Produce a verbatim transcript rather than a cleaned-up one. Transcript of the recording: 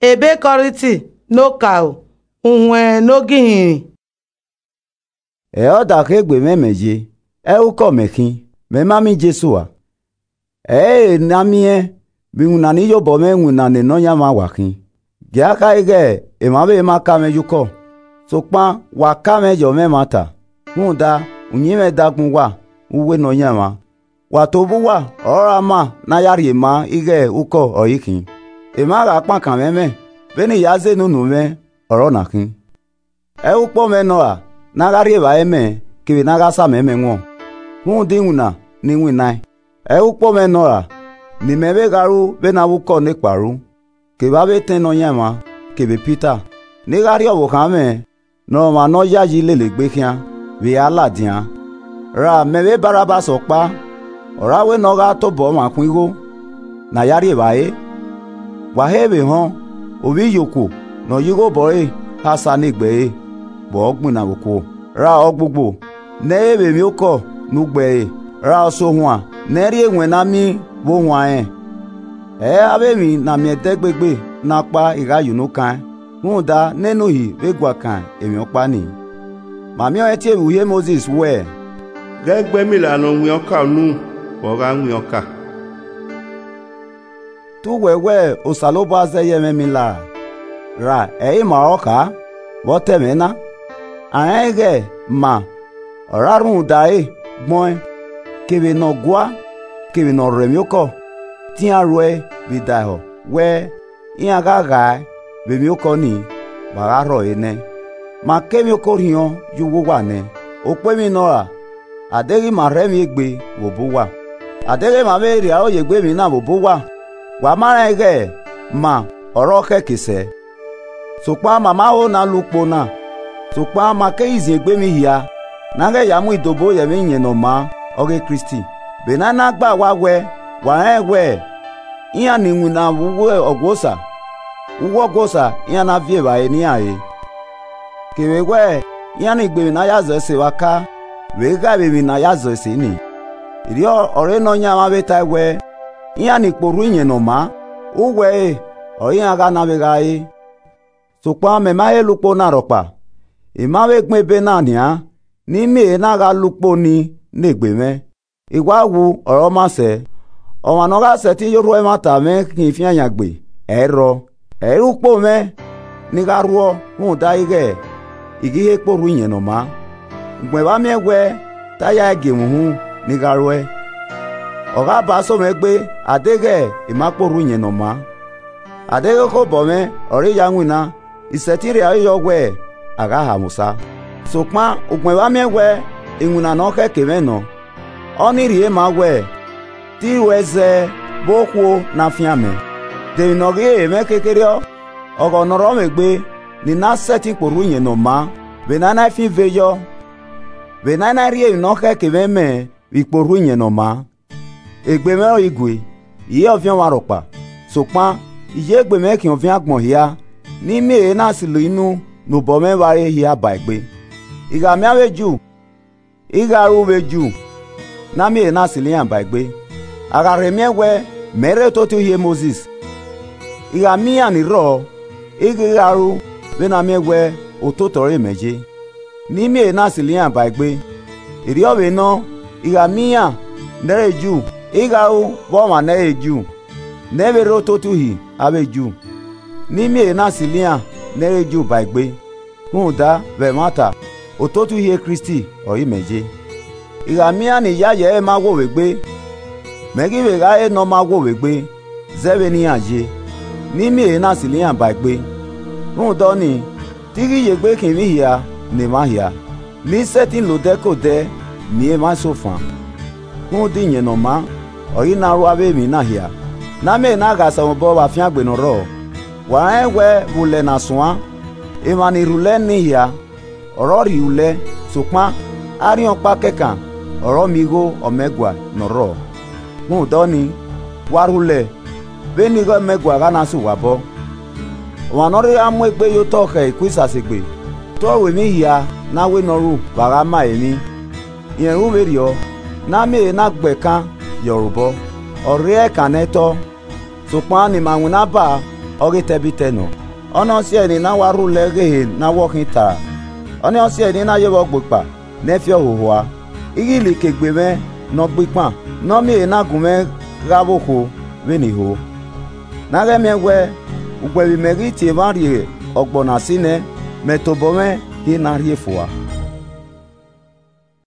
Ebe Kọrinti ne okaro, uhuẹn ne ogihinrin. Ẹ ọ da khegbe mwẹ mẹ ye, ẹ ukọ mẹ khin, mẹ ma miẹn Jesu a. Ẹ i re ne a miẹn vbe iwinna ne iyobọ mwẹ winna ne Nọyaẹnmwa wa khin. Gie a kha ighẹ emwa vbe ma ka mwẹ ye ukọ, sokpan wa ka mwẹ ye ọ mwẹ ẹmwata, rhunmwuda uyinmwẹ dagbọn uwa vbe uwu Nọyaẹnmwa. Wa tobọ uwa ọre ọ ra ma ne a ya rhie ma ighẹ ukọ ọre I khin. Emwa gha kpankan mwẹ mẹ, vbene I ya zẹ nunu mwẹ ọre ọ na khin. Ẹ ukpọn mwẹ nọ ra ne a gha rhie evbare mẹ kevbe ne a gha sa mẹ mẹ wọn, rhunmwuda iwinna ne I winnaẹn. Ẹ ukpọn mwẹ nọ ra ne imẹ vbe gha ru vbene avbe ukọ nekpa ru, kevbe avbe etẹn Nọyaẹnmwa, kevbe Pita, ne I gha rhie ọvbokhan mwẹ ne ọmwa ne ọ yayi lele egbe khian vbe a ladian. Ra mẹ vbe Banabasi ọkpa, ọre a wẹ ne ọ gha tobọ ọmwa khuan igho ne a ya rhie evbare? Wa he vbe họn, ovbi iyokhuo ne ọ ya igho obọ ẹre khasa ne egbe ẹre vbe ọ gbinna vbe okuo. Ra ọgbugbo ne ẹ i re vbe emwiokọ ne u gbe ẹre, ra ọsohuan ne ẹ i rhie iwẹn ne a miẹn vbe ohuan rẹn. Ẹ i re avbe emwi ne a miẹn ẹdẹgbegbe na ọkpa I gha ye unu kaẹn, rhunmwuda nene Uhi vbe guan kan emwi ọkpa nii. Ma miẹn ọnrẹn tie vbe uhi Mosis wẹẹ, Ghẹ gbe emila ne ọ wiẹn ọka unu, vbe ọ gha wiẹn ọka. Te uwẹ wẹẹ Osanobua zẹ ye mwẹ emila ra? Ra ẹ i re ima ọre ọ kha vbe ọ ta ẹmwẹ na? A rẹnrẹn ighẹ ma ọre a rhunmwuda ẹre gbẹn ọẹn, kevbe ne ọ gua, kevbe ne ọ rre emwiokọ, te iran ru ẹre vbe daehọ wẹẹ, iran gha ghae vbe emwiokọ nii, wa gha rhọre nẹ. Ma ke emwiokọ orhiọn ye uwu uwa nẹ, okpo emwi nọ ra, a deghẹ ima rhẹ emwi egbe vbe obọ uwa, a deghẹ ima vbe rhie aro ye egbe emwi na vbe obọ uwa, wa ma rẹn ighẹ ma ọre ọ khẹke sẹ. Sokpan ma ma ho ne a la ukpo na, sokpan ma keghi zin egbe emwi hia ne a ghẹ ya mu idobo ye ẹmwẹ Iyẹn Ne ọ maa, ọghe Kristi. Vbe ne a na gbe awa wẹ, wa rẹnrẹn wẹ, iran ni winna vbe uwu Ọgua Osa, uwu Ọgua Osa iran na viọ evbare ne iran re. Kevbe wẹ, iran ni gbe emwi ne a ya zọ ẹse vbe aka, vbe ghae vbe emwi ne a ya zọ ẹse nii. Erriọ ọre Nọyaẹnmwa vbe tae wẹ, iran ni kpe orhu Iyẹn Ne ọ maa, uwu ẹre ọre iran gha na vbe gha re. Sokpan mẹ ma he la ukpo na rhọkpa, I ma vbe gbẹn ebe na nian, ne I miẹn ehe na gha la ukpo ni ne egbe mwẹ. I wa wu ọre ọ ma sẹ. Ọmwa ne ọ gha sẹtin ye orhu ẹmwata mwẹ khian ifian yan gbe, ẹ i rrọọ. Ẹ i re ukpo mwẹ ne I gha rhuọ rhunmwuda ighẹ I ghi he kpe orhu Iyẹn Ne ọ maa. Ugbẹn vbe a miẹn wẹ te a ya gie mwẹ uhunmwu ne I gha ruẹ, ọ gha ba so mwẹ egbe, a deghẹ I ma kpe orhu Iyẹn Ne ọ maa. A deghẹ ekhobọ mwẹ ọre I ya winna, I sẹtin rhie aro yọ wẹ a gha ha mwẹ osa. Sokpan ugbẹn vbe a miẹn wẹ iwinna ne ọ khẹke mwẹ nọ, ọnii rhie ma wẹ, te I ruẹ zẹ vbe okhuo ne a fian mẹ. De emwi ne ọ ghi re mwẹ kherhe-o, ọghọ ne ọ rrọọ mwẹ egbe, ne I na sẹtin kpe orhu Iyẹn Ne ọ maa, vbe ne a i na fian ive yọ, vbe ne a i na rhie emwi ne ọ khẹke mwẹ mẹ vbe ikpe orhu Iyẹn Ne ọ maa. Egbe mwẹ ọre I gue, I re ọviẹn ọmwa rhọkpa, sokpan I ye egbe mwẹ khian ọviẹn agbọn hia, ne I miẹn ehe na silo inu ne obọ mwẹ vbe a re hia ba egbe. I gha miẹn avbe Ju, I gha ru vbe Ju, ne a miẹn ehe na silo iran ba egbe. A gha rhe miẹn wẹ mẹ i rre ototọ Uhi Mosis, I gha miẹn iran ni rrọọ, I ghi gha ru vbene a miẹn wẹ ototọ ọre mẹ ye, ne I miẹn ehe na silo iran ba egbe. Erriọ vbe nọ, I gha miẹn iran ne ẹ i re Ju, I gha ru vbe ọmwa ne ẹ i re Ju, ne ẹ i vbe rre ototọ Uhi avbe Ju, ne I miẹn ehe na silo iran ne ẹ i re Ju ba egbe. Rhunmwuda vbe ẹmwata, ototọ Uhi Kristi ọre imẹ ye. I gha miẹn iran ni yayi ẹre ma wo vbe egbe, mẹ ghi vbe gha re ne ọ ma wo vbe egbe, zẹ vbene iran ye, ne I miẹn ehe na silo iran ba egbe. Rhunmwuda ọnii, te I ghi ye egbe khian emwi hia ne emwa hia, ne I sẹtin la odẹ ke odẹ miẹn emwa eso fan. Rhunmwuda Iyẹn Ne ọ maa ọre I na ru avbe emwi na hia, ne a miẹn ehe na gha sa mwẹ obọ vbe afiangbe ne ọ rrọọ. Wa rẹnrẹn wẹ vbe ulẹ ne a suan, emwa ni rhulẹ nii hia, ọre ọ rhie ulẹ, sokpan arhiọnkpa kẹkan ọre ọ miẹn igho ọmẹgua ne ọ rrọọ. Rhunmwuda ọnii, wa rhulẹ vbene igho ọmẹgua gha na sẹ uwa obọ. Ọmwa ne ọ rhirhi gha mu egbe ye otọ khẹ Kurisẹti egbe, te ọ ru emwi hia ne a wẹ ne ọ ru vbe a gha ma emwi. Rẹn ru vberriọ, ne a miẹn ehe na gbe ẹkan ye ọre obọ, ọ rre ẹkan nẹ tọ, sokpan ne ima winna ba ọ ghe tẹbitẹ nọ. Ọnii ọ si ẹe ne I na wa rhulẹ ghe ehe ne a wẹ ọ khin ta, ọnii ọ si ẹe ne I na ye vbe ọgbekpa ne ẹ i fiọ hohoa, ighilike egbe mwẹ ne ọ gbe ikpan, ne ọ miẹn ehe na gu mwẹ gha vbe okhuo vbene I ho. Ne a ghẹ miẹn wẹ, ugbẹn vbe imẹ ghi tie emwa rrie ọgbọ na si nẹ, mẹ tobọ mwẹ hie ne a rhie fua.